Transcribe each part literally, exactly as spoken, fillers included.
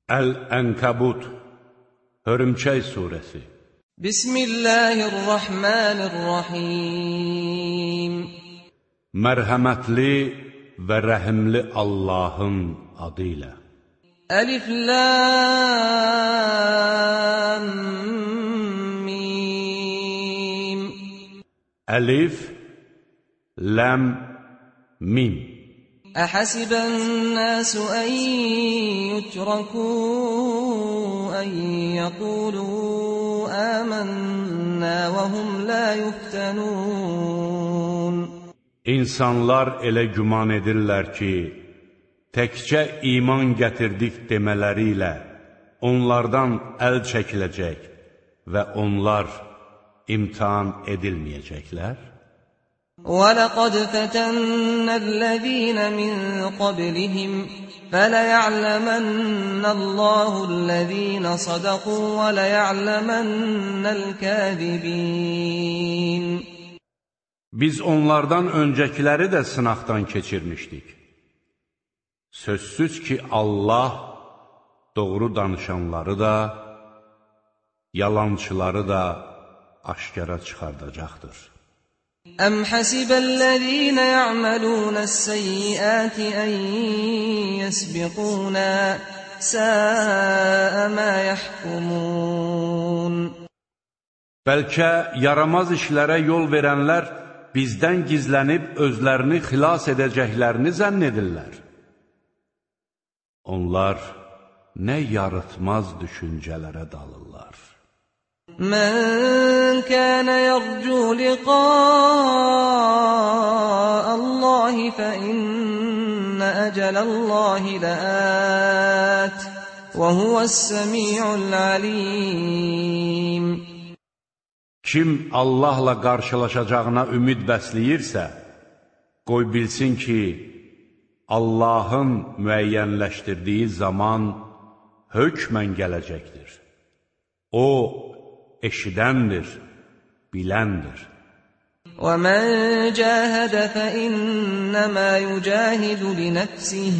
Əl-Ənkəbut, Hörümçək surəsi. Bismillahirrahmanirrahim. Mərhəmətli və rəhimli Allahın adı ilə. Əlif, lam, mim. Əlif, lam, mim. أحسب الناس أن يتركوا أن يقولوا آمنا وهم لا يفتنون. İnsanlar elə güman edirlər ki, təkcə iman gətirdik demələri ilə onlardan əl çəkiləcək və onlar imtihan edilməyəcəklər. وَلَقَدْ فَتَنَّا الَّذِينَ مِنْ قَبْلِهِمْ فَلَيَعْلَمَنَّ اللَّهُ الَّذِينَ صَدَقُوا وَلَيَعْلَمَنَّ الْكَاذِبِينَ. Biz onlardan öncəkiləri də sınaqdan keçirmişdik. Sözsüz ki, Allah doğru danışanları da, yalançıları da aşkara çıxardacaqdır. أَمْ حَسِبَ الَّذِينَ يَعْمَلُونَ السَّيِّئَاتِ أَنْ يَسْبِقُونَا سَاءَ مَا يَحْكُمُونَ. Bəlkə yaramaz işlərə yol verənlər bizdən gizlənib özlərini xilas edəcəklərini zənn edirlər. Onlar nə yarıtmaz düşüncələrə dalırlar. من كان يرجو لقاء الله فإن أجل الله لآت وهو السميع العليم. Kim Allahla qarşılaşacağına ümid bəsləyirsə, qoy bilsin ki, Allahın müəyyənləşdirdiyi zaman hökmən gələcəkdir. O, eşidəndir, biləndir. وَمَنْ جَاهَدَ فَإِنَّمَا يُجَاهِدُ لِنَفْسِهِ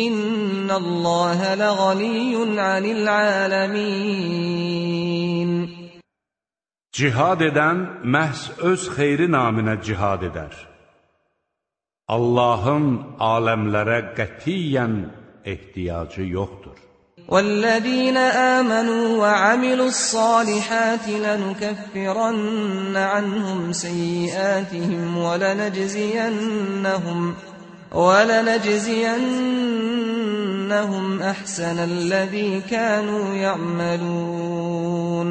إِنَّ اللَّهَ لَغَنِيٌّ عَنِ الْعَالَمِينَ. Cihad edən məhz öz xeyri naminə cihad edər. Allahın aləmlərə qətiyyən ehtiyacı yoxdur. وَالَّذِينَ آمَنُوا وَعَمِلُوا الصَّالِحَاتِ لَنُكَفِّرَنَّ عَنْهُمْ سَيِّئَاتِهِمْ وَلَنَجْزِيَنَّهُمْ وَلَنَجْزِيَنَّهُمْ أَحْسَنَ الَّذِي كَانُوا يَعْمَلُونَ.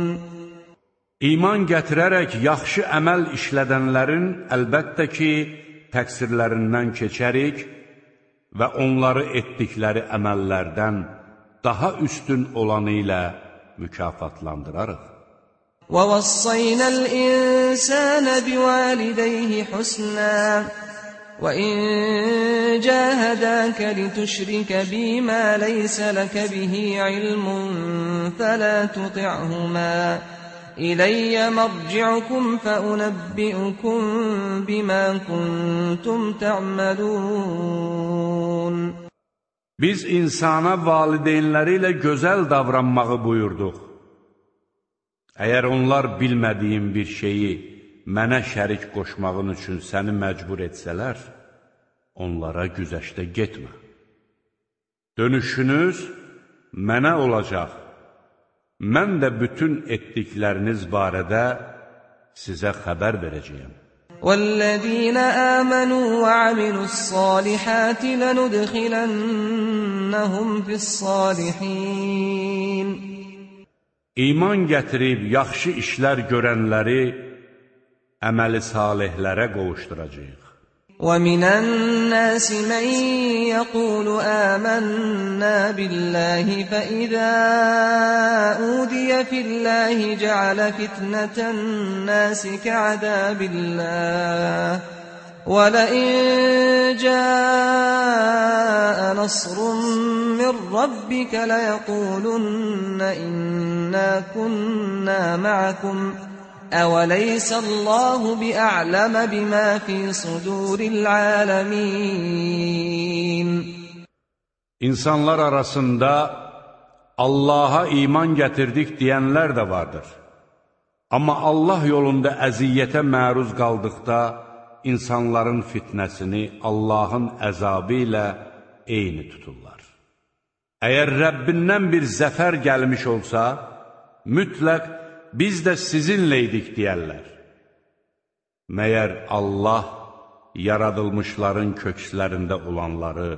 İman gətirərək yaxşı əməl işlədənlərin əlbəttə ki, təqsirlərindən keçərik və onları etdikləri əməllərdən daha üstün olanı ilə mükafatlandırarıq. وَوَصَّيْنَا الْإِنسَانَ بِوَالِدَيْهِ حُسْنًا وَإِنْ جَاهَدَاكَ لِتُشْرِكَ بِي مَا لَيْسَ لَكَ بِهِ عِلْمٌ فَلَا تُطِعْهُمَا إِلَيَّ مَرْجِعُكُمْ فَأُنَبِّئُكُمْ بِمَا كُنْتُمْ تَعْمَلُونَ. Biz insana valideynləri ilə gözəl davranmağı buyurduq. Əgər onlar bilmədiyin bir şeyi mənə şərik qoşmağın üçün səni məcbur etsələr, onlara güzəşdə getmə. Dönüşünüz mənə olacaq. Mən də bütün etdikləriniz barədə sizə xəbər verəcəyəm. وَالَّذِينَ آمَنُوا وَعَمِلُوا الصَّالِحَاتِ لَنُدْخِلَنَّهُمْ فِي الصَّالِحِينَ. İman gətirib yaxşı işlər görənləri əməli salihlərə qovuşduracağıq. وَمِنَ النَّاسِ مَنْ يَقُولُ آمَنَّا بِاللَّهِ فَإِذَا أُوذِيَ فِي اللَّهِ جَعَلَ فِتْنَةَ النَّاسِ كَعَذَابِ اللَّهِ وَلَئِنْ جَاءَ نَصْرٌ مِّن رَّبِّكَ لَيَقُولُنَّ إِنَّا كُنَّا مَعَكُمْ أَوَلَيْسَ اللَّهُ بِأَعْلَمَ بِمَا فِي صُدُورِ الْعَالَمِينَ. İnsanlar arasında Allaha iman gətirdik deyənlər də vardır. Amma Allah yolunda əziyyətə məruz qaldıqda, insanların fitnəsini Allahın əzabı ilə eyni tuturlar. Əgər Rəbbindən bir zəfər gəlmiş olsa, mütləq biz də sizinleydik deyərlər. Məyər Allah yaradılmışların kökslərində olanları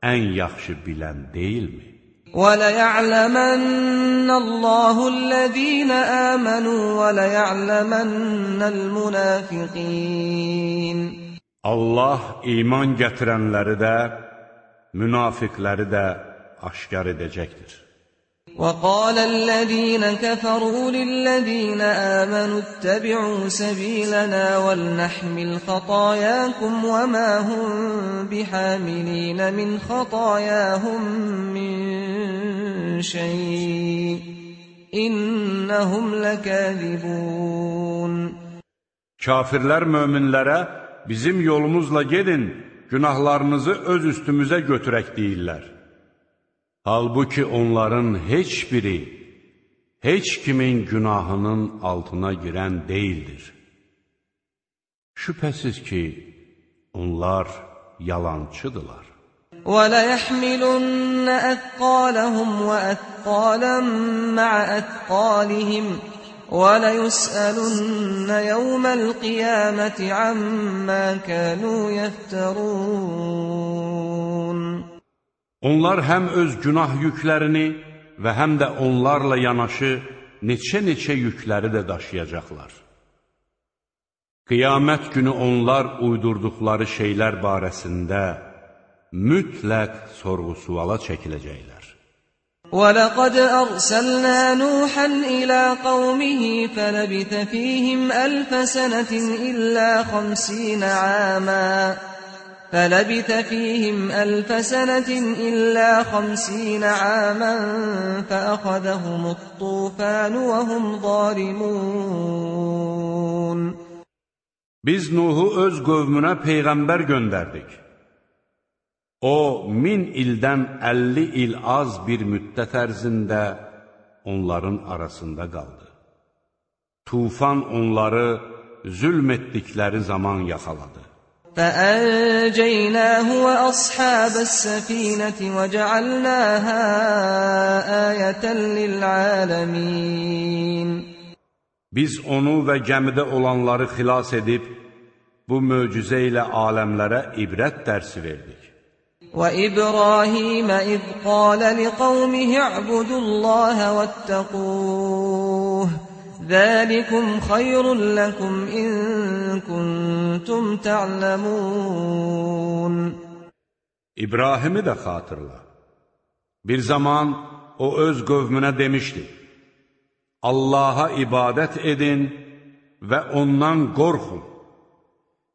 ən yaxşı bilən deyilmi? وَلَيَعْلَمَنَّ اللَّهُ الَّذِينَ آمَنُوا وَلَيَعْلَمَنَّ الْمُنَافِقِينَ Allah iman gətirənləri də, münafiqləri də aşkar edəcəkdir. وَقَالَ الَّذِينَ كَفَرُوا لِلَّذِينَ آمَنُوا اتَّبِعُوا سَبِيلَنَا وَلْنَحْمِلْ خَطَايَاكُمْ وَمَا هُمْ بِحَامِلِينَ مِنْ خَطَايَاهُمْ مِنْ شَيْءٍ إِنَّهُمْ لَكَاذِبُونَ Kafirlər möminlərə bizim yolumuzla gedin, günahlarınızı öz üstümüzə götürək deyirlər. Halbuki onların heç biri, heç kimin günahının altına girən deyildir. Şübhəsiz ki, onlar yalancıdırlar. وَلَيَحْمِلُنَّ أَثْقَالَهُمْ وَأَثْقَالًا مَعَ أَثْقَالِهِمْ وَلَيُسْأَلُنَّ يَوْمَ الْقِيَامَةِ عَمَّا كَانُوا يَفْتَرُونَ Onlar həm öz günah yüklərini və həm də onlarla yanaşı neçə-neçə yükləri də daşıyacaqlar. Qiyamət günü onlar uydurduqları şeylər barəsində mütləq sorğu-suala çəkiləcəklər. وَلَقَدْ أَرْسَلْنَا نُوحًا إِلَى قَوْمِهِ فَلَبِثَ فِيهِمْ أَلْفَ سَنَةٍ إِلَّا خَمْسِينَ عَامًا فلبث فيهم ألف سنة إلا خمسين عاما فأخذهم الطوفان وهم ظالمون Biz Nuhu öz qövmünə peyğəmbər göndərdik. O, min ildən əlli il az bir müddət ərzində onların arasında qaldı. Tufan onları zülm etdikləri zaman yaxaladı. فَأَنْجَيْنَاهُ وَأَصْحَابَ السَّفِينَةِ وَجَعَلْنَاهَا آيَةً لِلْعَالَمِينَ Biz onu və gəmidə olanları xilas edib, bu möcüzə ilə aləmlərə ibrət dərsi verdik. وَإِبْرَاهِيمَ إِذْ قَالَ لِقَوْمِهِ اعْبُدُوا اللَّهَ وَاتَّقُوهُ ذَلِكُمْ خَيْرٌ لَكُمْ إِن كُنتُمْ تَعْلَمُونَ İbrahim'i də xatırla. Bir zaman o öz qövmünə demişdi: Allaha ibadət edin və ondan qorxun.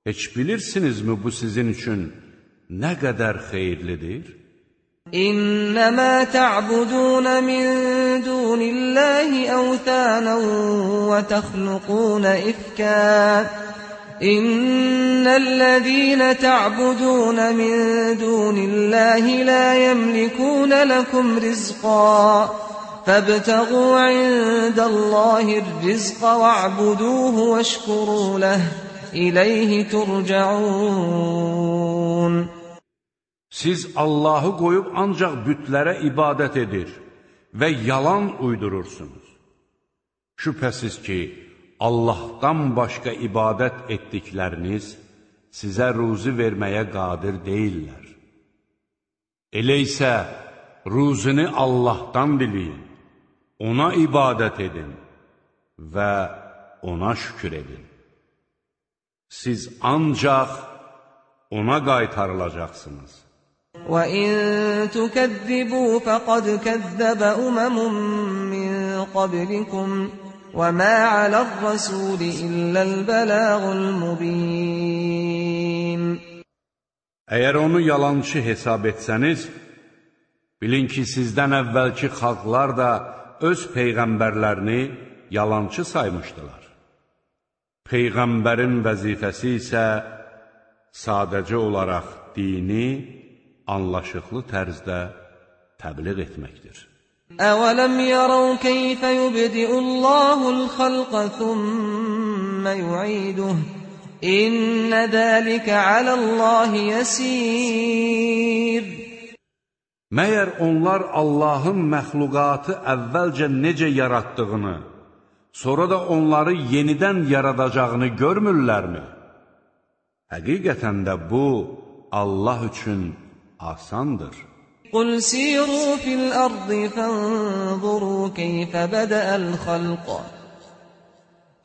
Heç bilirsinizmi bu sizin üçün nə qədər xeyirlidir? إنما تعبدون من دون الله أوثانا وتخلقون إفكا إن الذين تعبدون من دون الله لا يملكون لكم رزقا فابتغوا عند الله الرزق واعبدوه واشكروا له إليه ترجعون Siz Allahı qoyub ancaq bütlərə ibadət edir və yalan uydurursunuz. Şübhəsiz ki, Allahdan başqa ibadət etdikləriniz sizə ruzi verməyə qadir deyillər. Elə isə ruzini Allahdan diləyin, ona ibadət edin və ona şükür edin. Siz ancaq ona qaytarılacaqsınız. وَإِن تُكَذِّبُوا فَقَدْ كَذَّبَ أُمَمٌ مِّن قَبْلِكُمْ وَمَا عَلَى الرَّسُولِ إِلَّا الْبَلَاغُ الْمُبِينُ Əgər onu yalançı hesab etsəniz, bilin ki, sizdən əvvəlki xalqlar da öz peyğəmbərlərini yalançı saymışdılar. Peyğəmbərin vəzifəsi isə sadəcə olaraq dini anlaşıqlı tərzdə təbliğ etməkdir. أَوَلَمْ يَرَوْا كَيْفَ يُبْدِئُ اللَّهُ الْخَلْقَ ثُمَّ يُعِيدُهُ إِنَّ ذَلِكَ عَلَى اللَّهِ يَسِيرٌ. Məyər onlar Allahın məxluqatı əvvəlcə necə yaratdığını, sonra da onları yenidən yaradacağını görmürlərmi? Həqiqətən də bu, Allah üçün asandır. قُلْ سِيرُوا فِي الْأَرْضِ فَانظُرُوا كَيْفَ بَدَأَ الْخَلْقَ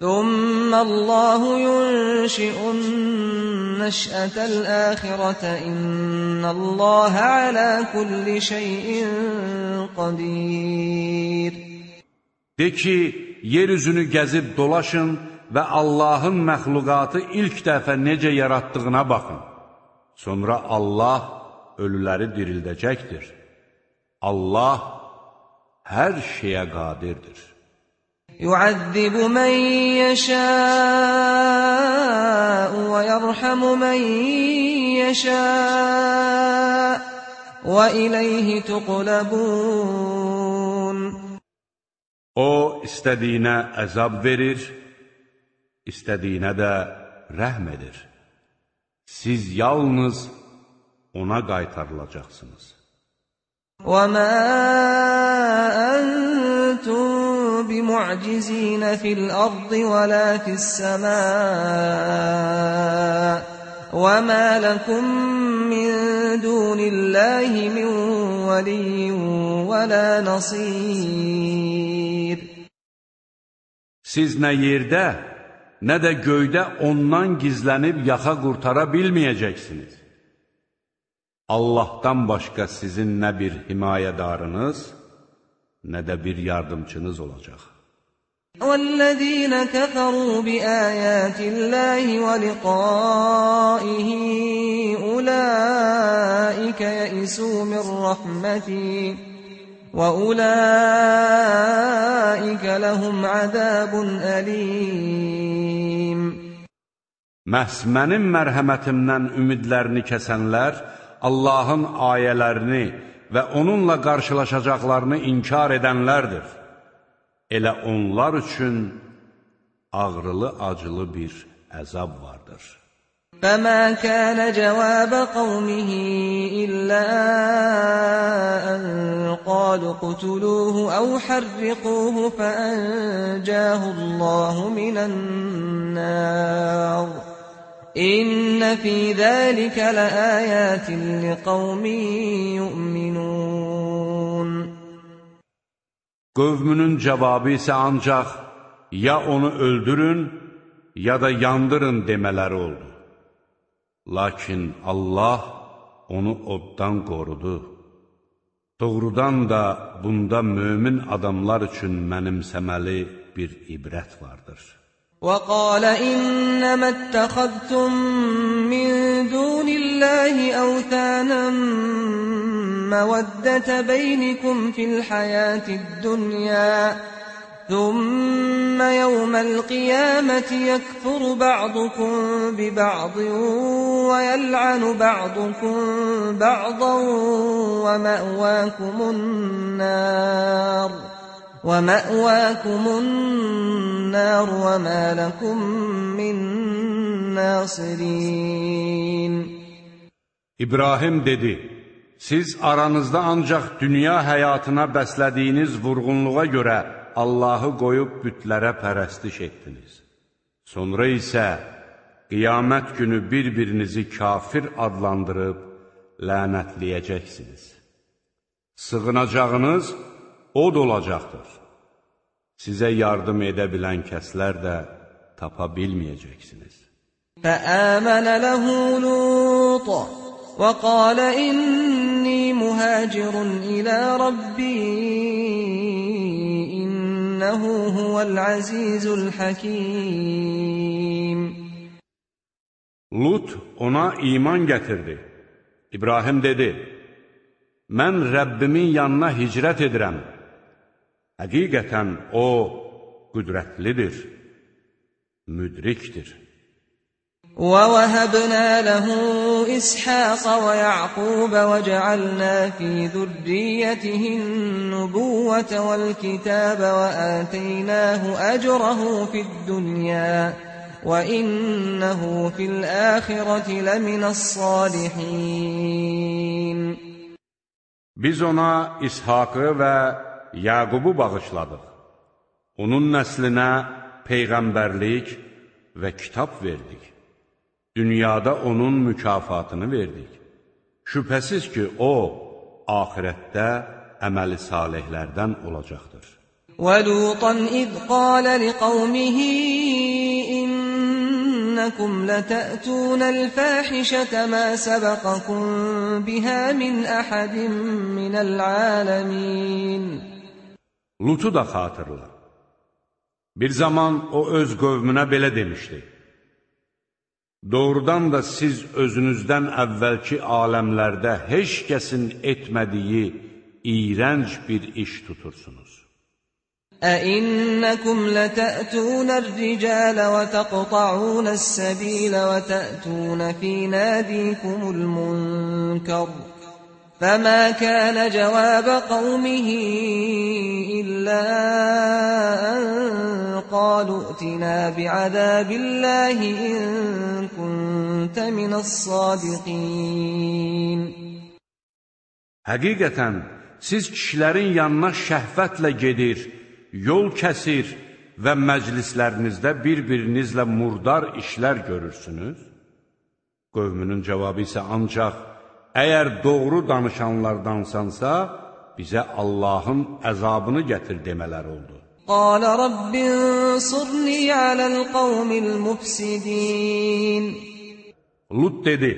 ثُمَّ اللَّهُ يُنشِئُ النَّشْأَةَ الْآخِرَةَ إِنَّ اللَّهَ عَلَى كُلِّ شَيْءٍ قَدِيرٌ. De ki, yeryüzünü gəzib dolaşın və Allahın məxluqatı ilk dəfə necə yaratdığına baxın. Sonra Allah ölüləri dirildəcəkdir. Allah hər şeyə qadirdir. يُعَذِّبُ مَن يَشَاءُ وَيَرْحَمُ مَن يَشَاءُ وَإِلَيْهِ تُقْلَبُونَ. O, istədiyinə əzab verir, istədiyinə də rəhm edir. Siz yalnız ona qaytarılacaqsınız. وَمَا أَنْتُمْ بِمُعْجِزِينَ فِي الْأَرْضِ وَلَا فِي السَّمَاءِ وَمَا لَكُمْ مِنْ دُونِ اللَّهِ مِنْ وَلِيٍّ وَلَا نَصِيرٍ. Siz nə yerdə, nə də göydə ondan gizlənib yaxa qurtara bilməyəcəksiniz. Allahdan başqa sizin nə bir himayədarınız, nə də bir yardımçınız olacaq. وَالَّذِينَ كَفَرُوا بِآيَاتِ اللَّهِ وَلِقَائِهِ أُولَئِكَ يَئِسُوا مِنْ رَحْمَتِي وَأُولَئِكَ لَهُمْ عَذَابٌ أَلِيمٌ. Məhz mənim mərhəmətimdən ümidlərini kəsənlər, Allahın ayələrini və onunla qarşılaşacaqlarını inkar edənlərdir. Elə onlar üçün ağrılı-acılı bir əzab vardır. فَمَا كَانَ جَوَابَ قَوْمِهِ إِلَّا أَنْ قَالُوا اقْتُلُوهُ أَوْ حَرِّقُوهُ فَأَنْجَاهُ اللَّهُ مِنَ النَّارِ إِنَّ فِي ذَلِكَ لَآيَاتٍ لِقَوْمٍ يُؤْمِنُونَ. Qövmünün cavabı isə ancaq ya onu öldürün, ya da yandırın demələri oldu. Lakin Allah onu oddan qorudu. Doğrudan da bunda mömin adamlar üçün mənimsəməli bir ibrət vardır. وَقَالَ إِنَّمَا اتَّخَذْتُم مِّن دُونِ اللَّهِ أَوْثَانًا مَّوَدَّةَ بَيْنِكُمْ فِي الْحَيَاةِ الدُّنْيَا ثُمَّ يَوْمَ الْقِيَامَةِ يَكْفُرُ بَعْضُكُم بِبَعْضٍ وَيَلْعَنُ بَعْضُكُم بَعْضًا وَمَأْوَاكُمُ النَّارُ وَمَأْوَاكُمُ النَّارُ وَمَا لَكُمْ مِنْ نَاصِرِينَ. İbrahim dedi, siz aranızda ancaq dünya həyatına bəslədiyiniz vurğunluğa görə Allahı qoyub bütlərə pərəstiş etdiniz. Sonra isə qiyamət günü bir-birinizi kafir adlandırıb lənətləyəcəksiniz. Sığınacağınız od olacaqdır. Sizə yardım edə bilən kəslər də tapa bilməyəcəksiniz. فَآمَنَ لَهُ لُوطٌ وَقَالَ إِنِّي مُهَاجِرٌ إِلَى رَبِّي إِنَّهُ هُوَ الْعَزِيزُ الْحَكِيمُ. Lut ona iman gətirdi. İbrahim dedi, mən Rəbbimin yanına hicrət edirəm. Həqiqətən O, qüdrətlidir, müdrikdir. وَوَهَبْنَا لَهُ إِسْحَاقَ وَيَعْقُوبَ وَجَعَلْنَا فِي ذُرِّيَّتِهِ النُّبُوَّةَ وَالْكِتَابَ وَآتَيْنَاهُ أَجْرَهُ فِي الدُّنْيَا وَإِنَّهُ فِي الْآخِرَةِ لَمِنَ الصَّالِحِينَ. Biz ona İshakı və Yaqubu bağışladıq. Onun nəslinə peyğəmbərlik və kitab verdik. Dünyada onun mükafatını verdik. Şübhəsiz ki, o, axirətdə əməli salihlərdən olacaqdır. وَلُوطًا إِذْ قَالَ لِقَوْمِهِ إِنَّكُمْ لَتَأْتُونَ الْفَاحِشَةَ مَا سَبَقَكُمْ بِهَا مِنْ أَحَدٍ مِنَ الْعَالَمِينَ. Lutu da xatırla. Bir zaman o öz qövmünə belə demişdi: Doğrudan da siz özünüzdən əvvəlki aləmlərdə heç kəsin etmədiyi iyrənc bir iş tutursunuz. أَإِنَّكُمْ لَتَأْتُونَ الرِّجَالَ وَتَقْطَعُونَ السَّبِيلَ وَتَأْتُونَ فِي نَادِيكُمُ الْمُنكَرَ فَمَا كَانَ جَوَابَ قَوْمِهِ إِلَّا أَن قَالُوا ائْتِنَا بِعَذَابِ اللَّهِ إِن كُنتَ مِنَ الصَّادِقِينَ. Həqiqətən, siz kişilərin yanına şəhvətlə gedir, yol kəsir və məclislərinizdə bir-birinizlə murdar işlər görürsünüz. Qövmünün cavabı isə ancaq, əgər doğru danışanlardansansa, bizə Allahın əzabını gətir demələr oldu. قَالَ رَبِّ انصُرْنِي عَلَى الْقَوْمِ الْمُفْسِدِينَ. Lut dedi,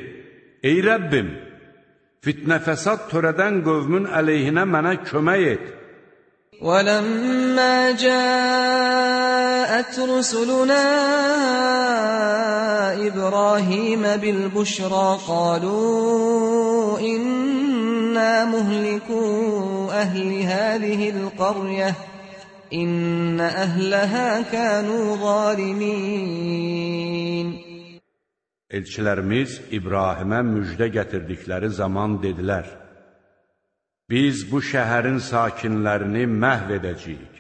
ey Rəbbim, fitnə fəsad törədən qövmün əleyhinə mənə kömək et. وَلَمَّا جَاءَتْ رُسُلُنَا إِبْرَاهِيمَ بِالْبُشْرَى قَالُوا إِنَّا مُهْلِكُو أَهْلِ هَذِهِ الْقَرْيَةِ إِنَّ أَهْلَهَا كَانُوا ظَالِمِينَ. Elçilərimiz İbrahimə müjdə gətirdikləri zaman dedilər, biz bu şəhərin sakinlərini məhv edəcəyik.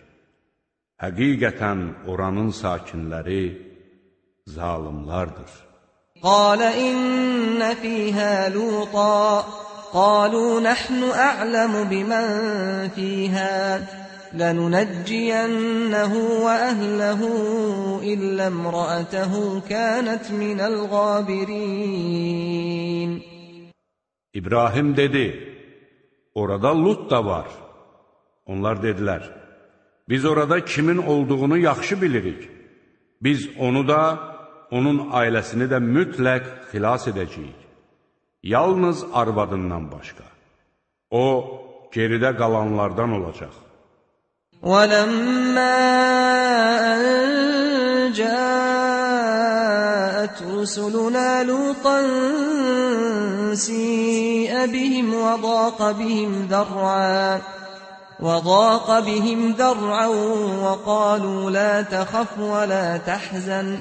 Həqiqətən oranın sakinləri zalimlardır. قَالَ إِنَّ فِيهَا لُوطًا قَالُوا نَحْنُ أَعْلَمُ بِمَنْ فِيهَا لَنُنَجِّيَنَّهُ وَأَهْلَهُ إِلَّا امْرَأَتَهُ كَانَتْ مِنَ الْغَابِرِينَ. İbrahim dedi, orada Lut da var. Onlar dedilər, biz orada kimin olduğunu yaxşı bilirik. Biz onu da, onun ailəsini də mütləq xilas edəcəyik. Yalnız arvadından başqa. O, geridə qalanlardan olacaq. وَلَمَّا أَن جَاءَتْ رُسُلُنَا لُوطًا سِيءَ بِهِمْ وَضَاقَ بِهِمْ ذَرْعًا وَضَاقَ بِهِمْ ذَرْعًا وَقَالُوا لَا تَخَفْ وَلَا تَحْزَنْ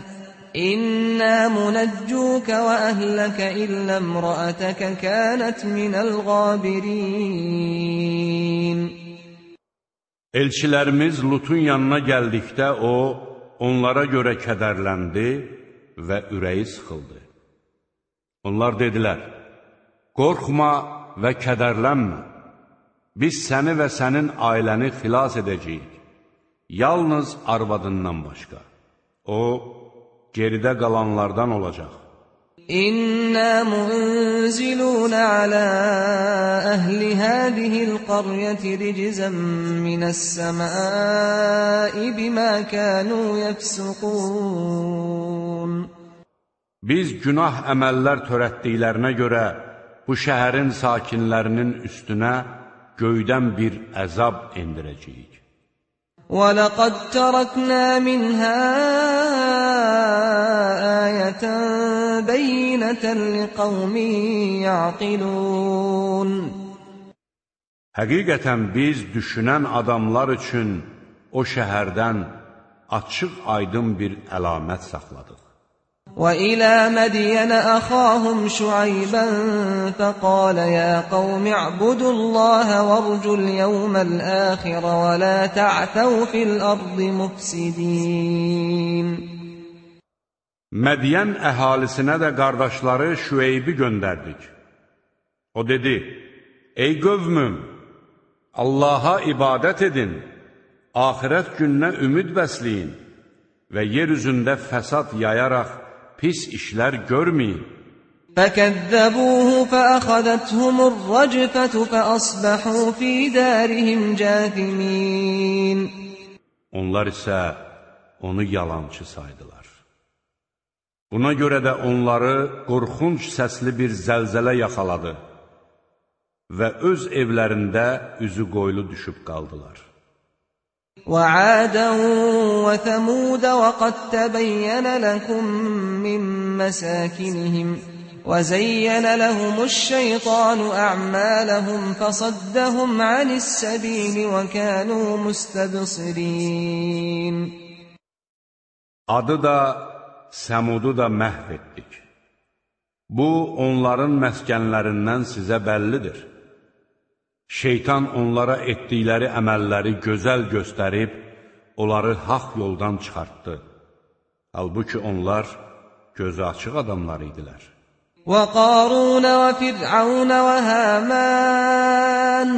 إِنَّا مُنَجُّوكَ وَأَهْلَكَ إِلَّا امْرَأَتَكَ كَانَتْ مِنَ الْغَابِرِينَ. Elçilərimiz Lutun yanına gəldikdə o, onlara görə kədərləndi və ürəyi sıxıldı. Onlar dedilər, qorxma və kədərlənmə, biz səni və sənin ailəni xilas edəcəyik, yalnız arvadından başqa. O, geridə qalanlardan olacaq. إِنَّا مُنْزِلُونَ عَلَى أَهْلِ هَذِهِ الْقَرْيَةِ رِجْزًا مِنَ السَّمَاءِ بِمَا كَانُوا يَفْسُقُونَ. Biz günah əməllər törətdiklərinə görə bu şəhərin sakinlərinin üstünə göydən bir əzab endirəcəyik. وَلَقَدْ تَرَكْنَا مِنْهَا آيَةً بَيِّنَةً لِقَوْمٍ يَعْقِلُونَ. Həqiqətən biz düşünən adamlar üçün o şəhərdən açıq aydın bir əlamət saxladıq. وَإِلَى مَدْيَنَ أَخَاهُمْ شُعَيْبًا فَقَالَ يَا قَوْمِ اعْبُدُوا اللَّهَ وَارْجُوا الْيَوْمَ الْآخِرَ وَلَا تَعْثَوْا فِي الْأَرْضِ مُفْسِدِينَ Mədiyən əhalisinə də qardaşları Şüeybi göndərdik. O dedi, ey qövmüm, Allaha ibadət edin, axirət gününə ümid bəsləyin və yer üzündə fəsad yayaraq pis işlər görməyin. فَكَذَّبُوهُ فَأَخَذَتْهُمُ الرَّجْفَةُ فَأَصْبَحُوا فِي دَارِهِمْ جَاثِمِينَ Onlar isə onu yalançı saydılar. Buna görə də onları qorxunc səsli bir zəlzələ yaxaladı və öz evlərində üzü qoylu düşüb qaldılar. وَعَادًا وَثَمُودَ وَقَدْ تَبَيَّنَ لَكُم مِّن مَّسَاكِنِهِمْ وَزَيَّنَ لَهُمُ الشَّيْطَانُ أَعْمَالَهُمْ فَصَدَّهُمْ عَنِ السَّبِيلِ وَكَانُوا مُسْتَبْصِرِينَ Adı da, Səmudu da məhv etdik. Bu, onların məskənlərindən sizə bəllidir. Şeytan onlara etdikləri əməlləri gözəl göstərib, onları haqq yoldan çıxartdı. Halbuki onlar gözü açıq adamlar idilər. وَقَارُونَ وَفِرْعَوْنَ وَهَامَانَ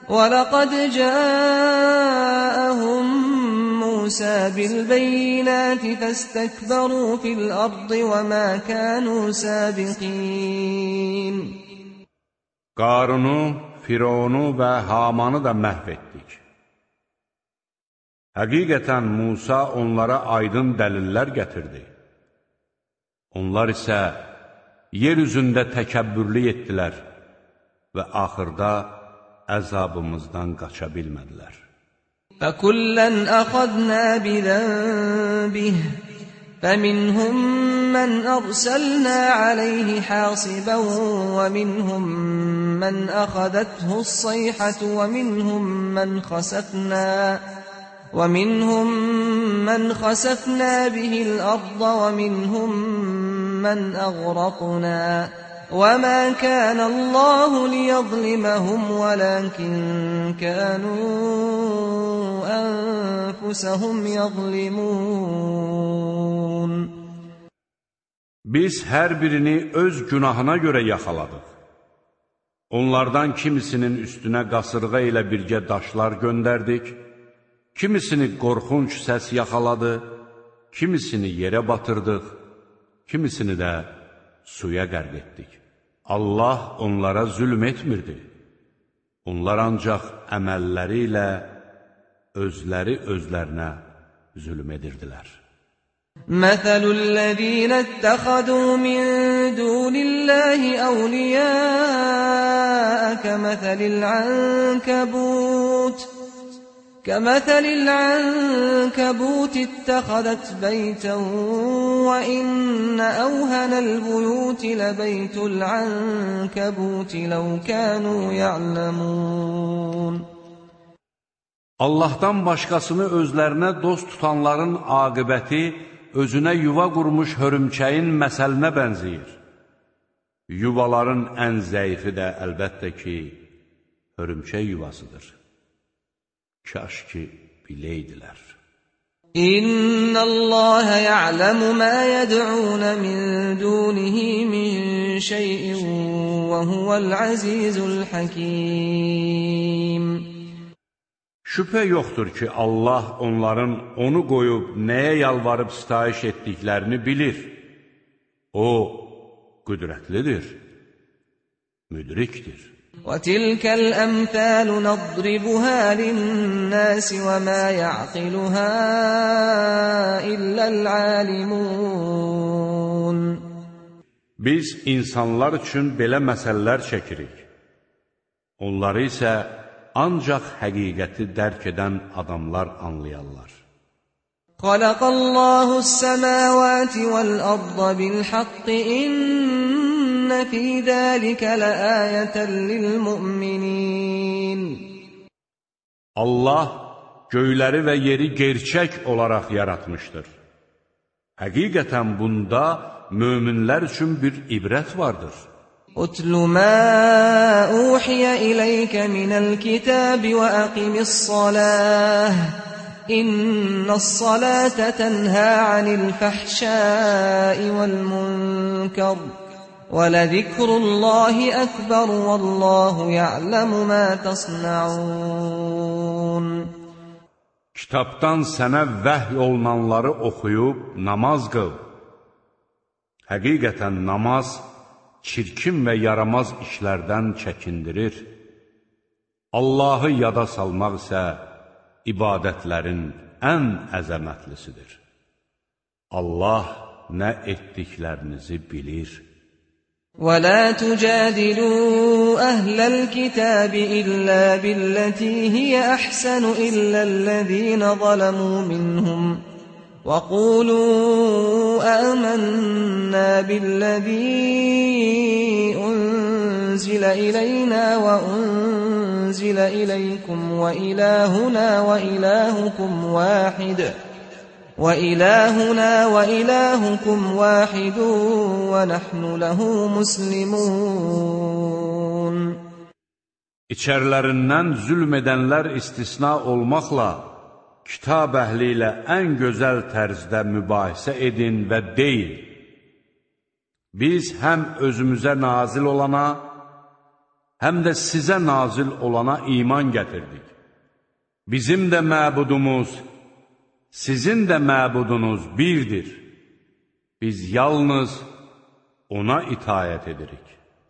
وَلَقَدْ جَاءَهُم مُوسَى بِالْبَيِّنَاتِ فَاسْتَكْبَرُوا فِي الْأَرْضِ وَمَا كَانُوا سَابِقِينَ Qarunu, Fironu və Hamanı da məhv etdik. Həqiqətən Musa onlara aydın dəlillər gətirdi. Onlar isə yer üzündə təkəbbürlü etdilər və axırda əzabımızdan qaça bilmədilər. فَكُلًّا أَخَذْنَا بِذَنبِهِ فَمِنْهُمْ مَنْ أَرْسَلْنَا عَلَيْهِ حَاصِبًا وَمِنْهُمْ مَنْ أَخَذَتْهُ الصَّيْحَةُ وَمِنْهُمْ مَنْ خَسَفْنَا وَمِنْهُمْ مَنْ خَسَفْنَا بِهِ الْأَرْضَ وَمِنْهُمْ مَنْ أَغْرَقْنَا وَمَا كَانَ اللَّهُ لِيَظْلِمَهُمْ وَلَكِنْ كَانُوا أَنفُسَهُمْ يَظْلِمُونَ Biz hər birini öz günahına görə yaxaladıq. Onlardan kimisinin üstünə qasırğa ilə birgə daşlar göndərdik, kimisini qorxunc səs yaxaladı, kimisini yerə batırdıq, kimisini də suya qərq etdik. Allah onlara zülm etmirdi. Onlar ancaq əməlləri ilə özləri özlərinə zülm edirdilər. مَثَلُ الَّذِينَ اتَّخَذُوا مِن دُونِ اللَّهِ أَوْلِيَاءَ كَمَثَلِ الْعَنكَبُوتِ كَمَثَلِ الْعَنكَبُوتِ اتَّخَذَتْ بَيْتًا وَإِنَّ أَوْهَنَ الْبُيُوتِ لَبَيْتُ الْعَنكَبُوتِ لَوْ كَانُوا يَعْلَمُونَ Allahdan başqasını özlərinə dost tutanların aqibəti özünə yuva qurmuş hörümçəyin məsəlinə bənzəyir. Yuvaların ən zəifi də əlbəttə ki, hörümçək yuvasıdır. Kaş ki, biləydilər. İnna Allah ya'lamu ma yad'un min dunihi min şey'in ve huvel azizul hakim. Şübhə yoxdur ki, Allah onların onu qoyub nəyə yalvarıb sitayiş etdiklərini bilir. O, qüdrətlidir, müdrikdir. وَتِلْكَ الْأَمْثَالُ نَضْرِبُهَا لِلنَّاسِ وَمَا يَعْقِلُهَا إِلَّا الْعَالِمُونَ Biz insanlar üçün belə məsələlər çəkirik. Onları isə ancaq həqiqəti dərk edən adamlar anlayarlar. خَلَقَ اللَّهُ السَّمَاوَاتِ وَالْأَرْضَ بِالْحَقِّ إِنَّ فِي ذَلِكَ لَآيَةً لِلْمُؤْمِنِينَ Allah göyləri və yeri gerçək olaraq yaratmışdır. Həqiqətən bunda möminlər üçün bir ibrət vardır. أتل ما أوحي إليك من الكتاب وأقم الصلاة إن الصلاة تنهى عن الفحشاء والمنكر ولذكر الله أكبر والله يعلم ما تصنعون. Kitabdan sənə vəhy olunanları oxuyub namaz qıl. Həqiqətən namaz çirkin və yaramaz işlərdən çəkindirir. Allahı yada salmaq isə ibadətlərin ən əzəmətlisidir. Allah nə etdiklərinizi bilir. وَلَا تُجَادِلُوا أَهْلَ الْكِتَابِ إِلَّا بِالَّتِي هِيَ أَحْسَنُ إِلَّا الَّذِينَ ظَلَمُوا مِنْهُمْ وَقُولُوا آمَنَّا بِالَّذِي أُنزِلَ إِلَيْنَا وَأُنزِلَ إِلَيْكُمْ وَإِلَٰهُنَا وَإِلَٰهُكُمْ وَاحِدٌ وَإِلَٰهُنَا وَإِلَٰهُكُمْ وَاحِدٌ وَنَحْنُ لَهُ مُسْلِمُونَ. İçərilərindən zülm edənlər istisna olmaqla, kitab əhli ilə ən gözəl tərzdə mübahisə edin və deyin, biz həm özümüzə nazil olana, həm də sizə nazil olana iman gətirdik. Bizim də məbudumuz, sizin də məbudunuz birdir. Biz yalnız ona itayət edirik.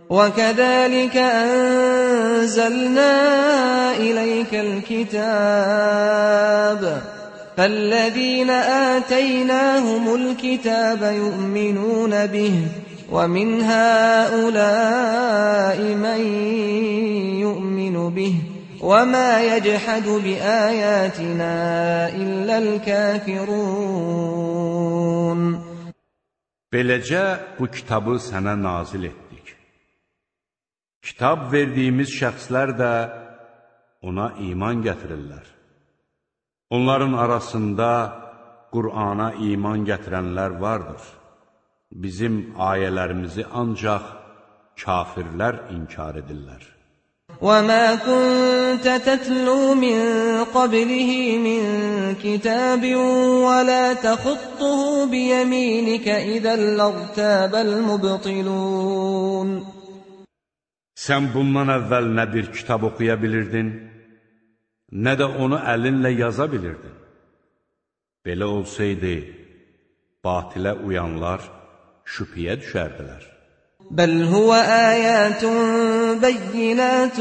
وَكَذَلِكَ أَنزَلْنَا إِلَيْكَ الْكِتَابَ فَالَّذِينَ آتَيْنَاهُمُ الْكِتَابَ يُؤْمِنُونَ بِهِ وَمِنْ هَؤُلَاءِ مَنْ يُؤْمِنُ بِهِ وَمَا يَجْحَدُ بِآيَاتِنَا إِلَّا الْكَافِرُونَ. Beləcə bu kitabı sənə nazil etdik. Kitab verdiyimiz şəxslər də ona iman gətirirlər. Onların arasında Qur'ana iman gətirənlər vardır. Bizim ayələrimizi ancaq kafirlər inkar edirlər. وَمَا كُنْتَ تَتْلُو مِنْ قَبْلِهِ مِنْ كِتَابٍ وَلَا تَخُطُّهُ بِيَمِينِكَ إِذًا لَارْتَابَ الْمُبْطِلُونَ. Sən bundan əvvəl nə bir kitab oxuya bilirdin, nə də onu əlinlə yaza bilirdin. Belə olsaydı, batilə uyanlar şübhəyə düşərdilər. بَلْ هُوَ آيَاتٌ بَيِّنَاتٌ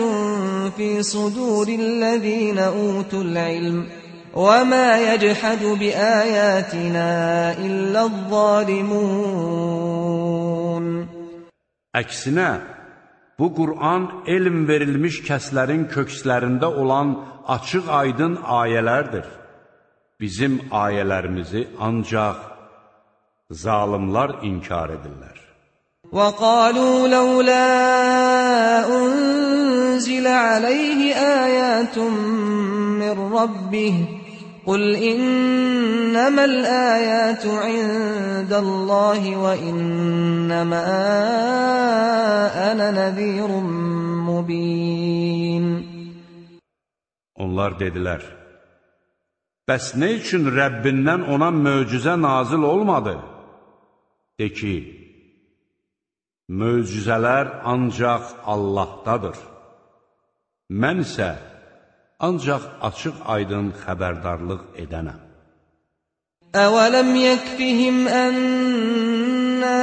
فِي صُدُورِ الَّذِينَ أُوتُوا الْعِلْمَ وَمَا يَجْحَدُ بِآيَاتِنَا إِلَّا الظَّالِمُونَ. Əksinə, bu Qur'an elm verilmiş kəslərin kökslərində olan açıq aydın ayələrdir. Bizim ayələrimizi ancaq zalimlar inkar edirlər. وَقَالُوا لَوْلَا أُنْزِلَ عَلَيْهِ آيَاتٌ مِّن رَّبِّهِ قُلْ إِنَّمَا الْآيَاتُ عِندَ اللَّهِ وَإِنَّمَا أَنَا نَذِيرٌ مُّبِينٌ. Onlar dedilər, bəs nə üçün Rəbbindən ona möcüzə nazil olmadı? De ki, möcüzələr ancaq Allahdadır. Mən isə ancaq açıq aydın xəbərdarlıq edənəm. أَوَلَمْ يَكْفِهِمْ أَنَّا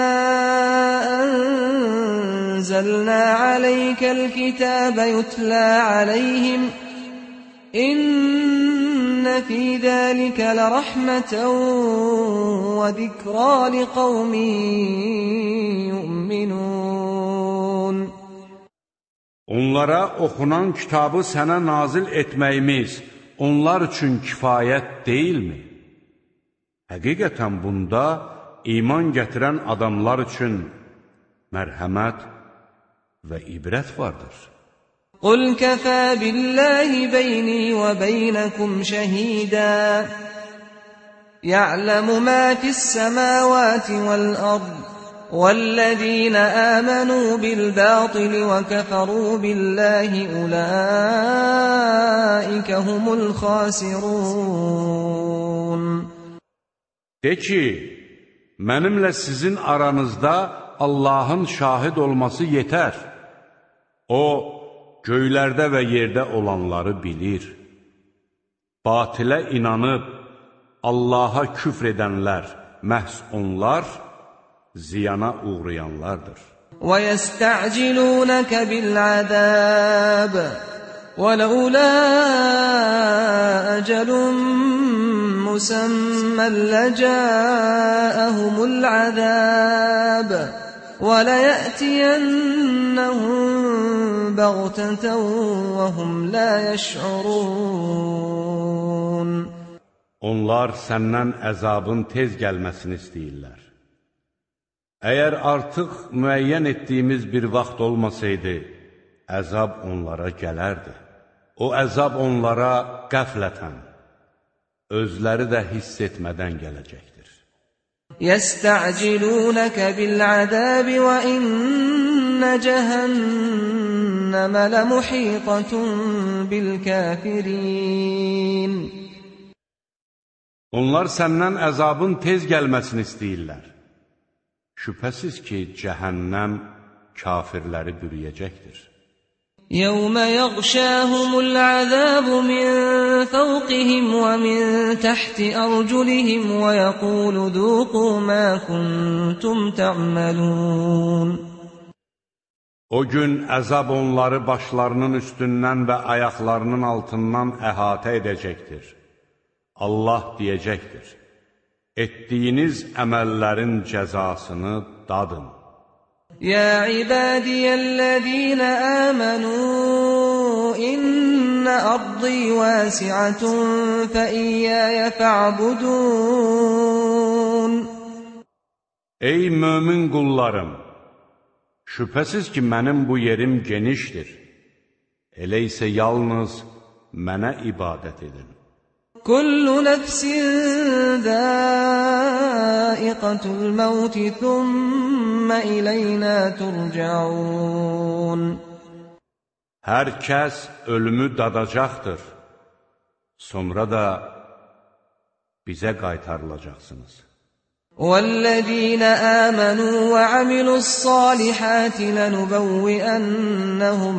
أَنزَلْنَا عَلَيْكَ الْكِتَابَ يُتْلَى عَلَيْهِمْ إِنَّ فِي ذَلِكَ لَرَحْمَةً وَذِكْرَى لِقَوْمٍ يُؤْمِنُونَ. Onlara oxunan kitabı sənə nazil etməyimiz onlar üçün kifayət deyilmi? Həqiqətən bunda iman gətirən adamlar üçün mərhəmət və ibrət vardır. قُلْ كَفَى بِاللَّهِ بَيْنِي وَبَيْنَكُمْ شَهِيدًا يعلم ما في السماوات والأرض والذين آمنوا بالباطل وكفروا بالله أولئك هم الخاسرون. De ki, mənimlə sizin aranızda Allahın şahid olması yetər. O, göylərdə və yerdə olanları bilir. Batilə inanıb, Allaha küfr edənlər, məhz onlar, ziyana uğrayanlardır. وَيَسْتَعْجِلُونَكَ بِالْعَذَابِ وَلَوْلَا أَجَلٌ مُّسَمًّى لَّجَاءَهُمُ الْعَذَابُ وَلَيَأْتِيَنَّهُم بَغْتَةً وَهُمْ لَا يَشْعُرُونَ. Onlar səndən əzabın tez gəlməsini istəyirlər. Əgər artıq müəyyən etdiyimiz bir vaxt olmasaydı, əzab onlara gələrdi. O əzab onlara qəflətən, özləri də hiss etmədən gələcəkdir. يَسْتَعْجِلُونَكَ بِالْعَذَابِ وَإِنَّ جَهَنَّمَ لَمُحِيطَةٌ بِالْكَافِرِينَ. Onlar səndən əzabın tez gəlməsini istəyirlər. Şübhəsiz ki, cəhənnəm kafirləri bürüyəcəkdir. يَوْمَ يَغْشَاهُمُ الْعَذَابُ مِنْ فَوْقِهِمْ وَمِنْ تَحْتِ أَرْجُلِهِمْ وَيَقُولُ ذُوقُوا مَا كُنْتُمْ تَعْمَلُونَ. O gün əzab onları başlarının üstündən və ayaqlarının altından əhatə edəcəkdir. Allah deyəcəkdir: etdiyiniz əməllərin cəzasını dadın. يَا عِبَادِيَ الَّذِينَ آمَنُوا إِنَّ أَرْضِي وَاسِعَةٌ فَإِيَّايَ فَاعْبُدُونِ. Ey mömin qullarım! Şübhəsiz ki, mənim bu yerim genişdir. Elə isə yalnız mənə ibadət edin. كُلُّ نَفْسٍ ذَائِقَةُ الْمَوْتِ ثُمَّ إِلَيْنَا تُرْجَعُونَ. Hər kəs ölümü dadacaqdır. Sonra da bizə qaytarılacaqsınız. وَالَّذِينَ آمَنُوا وَعَمِلُوا الصَّالِحَاتِ لَنُبَوِّئَنَّهُم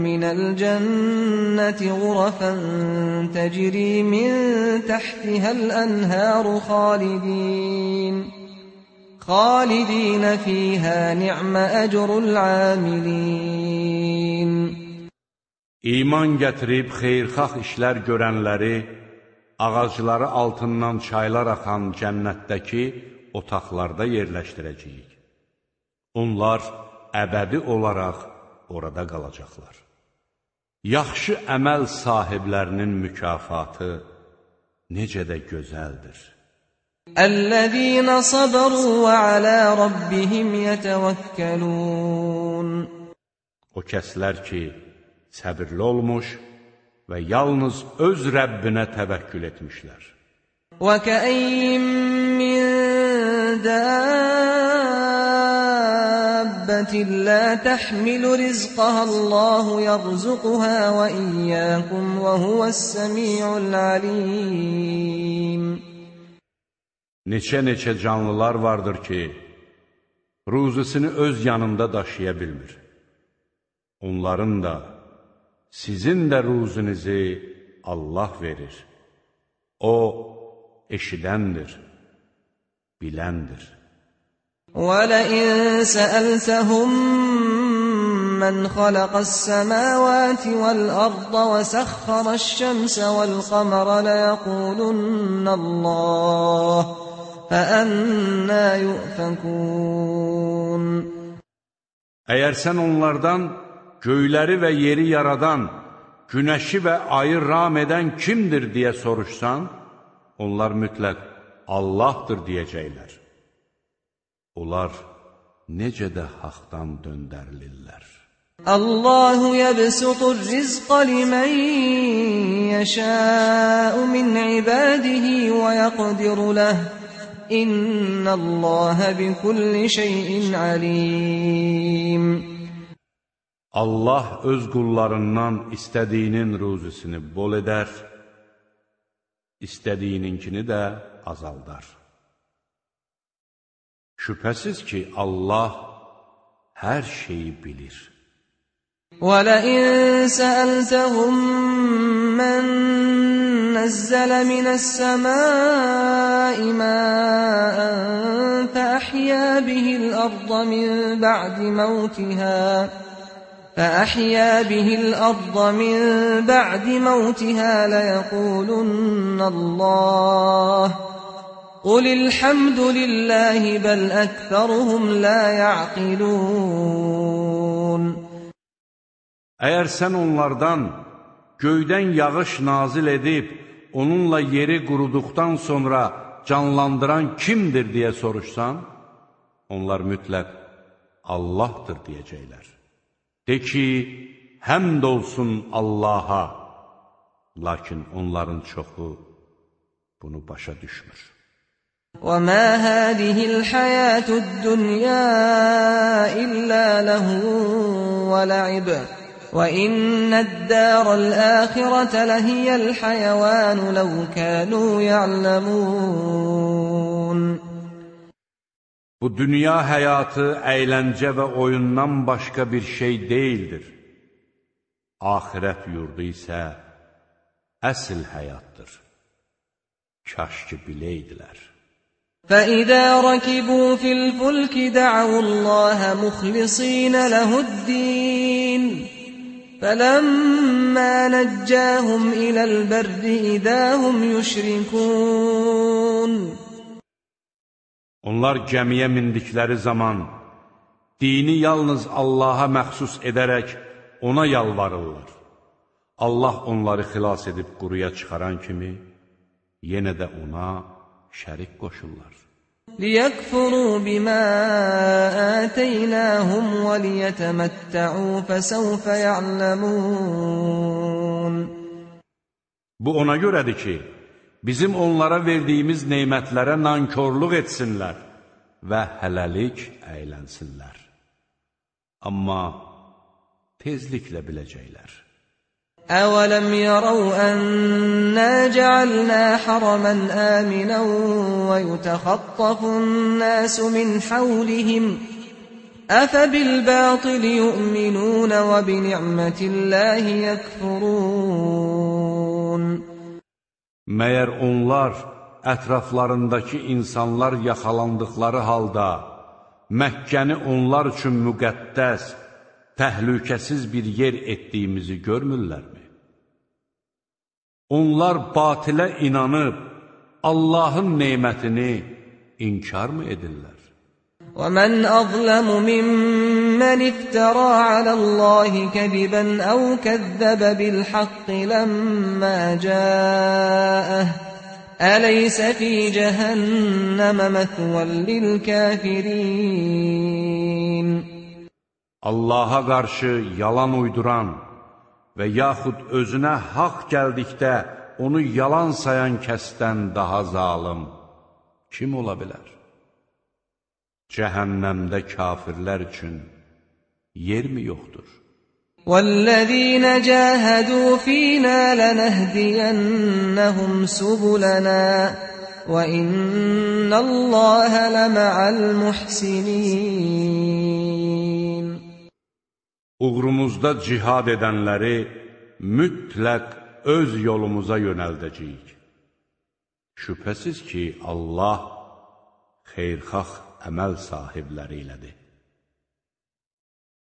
مِّنَ الْجَنَّةِ غُرَفًا تَجْرِي مِن تَحْتِهَا الْأَنْهَارُ خَالِدِينَ خَالِدِينَ فِيهَا نِعْمَ أَجْرُ الْعَامِلِينَ. İman gətirib xeyirxah işlər görənləri, ağacları altından çaylar axan cənnətdəki otaqlarda yerləşdirəcəyik. Onlar əbədi olaraq orada qalacaqlar. Yaxşı əməl sahiblərinin mükafatı necə də gözəldir. الَّذِينَ صَبَرُوا وَعَلَى رَبِّهِمْ يَتَوَكَّلُونَ. O kəslər ki, səbirli olmuş və yalnız öz Rəbbinə təvəkkül etmişlər. وَكَأَيِّن مِّن دَابَّةٍ لَّا تَحْمِلُ رِزْقَهَا اللَّهُ يَرْزُقُهَا وَإِيَّاكُمْ وَهُوَ السَّمِيعُ الْعَلِيمُ. Neçə-neçə canlılar vardır ki, ruzisini öz yanında daşıya bilmir. Onların da, sizin də ruzinizi Allah verir. O, eşidəndir, biləndir. وَلَئِن سَأَلْتَهُم مَّنْ خَلَقَ السَّمَاوَاتِ وَالْأَرْضَ وَسَخَّرَ الشَّمْسَ وَالْقَمَرَ لَيَقُولُنَّ اللَّهُ فَأَنَّىٰ يُؤْفَكُونَ. Əgər sən onlardan göyləri və yeri yaradan, günəşi və ayı ram edən kimdir deyə soruşsan, onlar mütləq Allahdır deyəcəklər. Onlar necə də haqdan döndərilirlər. Allahu yabsutur rizqa limen yasha'u من عباده ويقدر له إن الله بكل شيء عليم. Allah öz qullarından istədiyinin ruzisini bol edər, istədiyininkini də azaldar. Şübhəsiz ki, Allah hər şeyi bilir. وَلَئِن سَأَلْتَهُم مَّن نَّزَّلَ مِنَ السَّمَاءِ مَاءً فَأَحْيَا بِهِ الْأَرْضَ مِن بَعْدِ مَوْتِهَا فأحيا به الأرض من بعد موتها ليقولن الله قل الحمد لله بل أكثرهم لا يعقلون. Əgər sən onlardan göydən yağış nazil edib, onunla yeri quruduqdan sonra canlandıran kimdir deyə soruşsan, onlar mütləq Allahdır deyəcəklər. De ki, həmd olsun Allaha, lakin onların çoxu bunu başa düşmür. وَمَا هَذِهِ الْحَيَاةُ الدُّنْيَا إِلَّا لَهْوٌ وَلَعِبٌ وَإِنَّ الدَّارَ الْآخِرَةَ لَهِيَ الْحَيَوَانُ لَوْ كَانُوا يَعْلَمُونَ. Bu dünya həyatı əyləncə və oyundan başqa bir şey deyildir. Axirət yurdu isə əsl həyatdır. Kaş ki biləydilər. فَإِذَا رَكِبُوا فِي الْفُلْكِ دَعَوُا اللَّهَ مُخْلِصِينَ لَهُ الدِّينَ فَلَمَّا نَجَّاهُمْ إِلَى الْبَرِّ إِذَا هُمْ يُشْرِكُونَ. Onlar gəmiyə mindikləri zaman dini yalnız Allaha məxsus edərək ona yalvarırlar. Allah onları xilas edib quruya çıxaran kimi yenə də ona şərik qoşurlar. لِيَكْفُرُوا بِمَا آتَيْنَاهُمْ وَلِيَتَمَتَّعُوا فَسَوْفَ يَعْلَمُونَ. Bu ona görədir ki, bizim onlara verdiyimiz neymətlərə nankorluq etsinlər və hələlik əylənsinlər. Amma tezliklə biləcəklər. أَوَلَمْ يَرَوْا أَنَّا جَعَلْنَا حَرَمًا آمِنًا وَيُتَخَطَّفُ النَّاسُ مِنْ حَوْلِهِمْ أَفَبِالْبَاطِلِ يُؤْمِنُونَ وَبِنِعْمَةِ اللَّهِ يَكْفُرُونَ. Məyər onlar ətraflarındakı insanlar yaxalandıqları halda Məkkəni onlar üçün müqəddəs, təhlükəsiz bir yer etdiyimizi görmürlərmi? Onlar batilə inanıb Allahın neymətini inkar mı edirlər? وَمَنْ أَظْلَمُ مِمَّنِ افْتَرَى عَلَى اللَّهِ كَذِبًا أَوْ كَذَّبَ بِالْحَقِّ لَمَّا جَاءَهُ أَلَيْسَ فِي جَهَنَّمَ مَثْوًى لِلْكَافِرِينَ. Allaha qarşı yalan uyduran və yaxud özünə haqq gəldikdə onu yalan sayan kəsdən daha zalım kim ola bilər? Cəhənnəmdə kafirlər üçün yer mi yoxdur? وَالَّذِينَ جَاهَدُوا فِينَا لَنَهْدِيَنَّهُمْ سُبُلَنَا وَإِنَّ اللَّهَ لَمَعَ الْمُحْسِنِينَ. Uğrumuzda cihad edənləri mütləq öz yolumuza yönəldəcəyik. Şübhəsiz ki, Allah xeyrxax əməl sahibləri ilədir.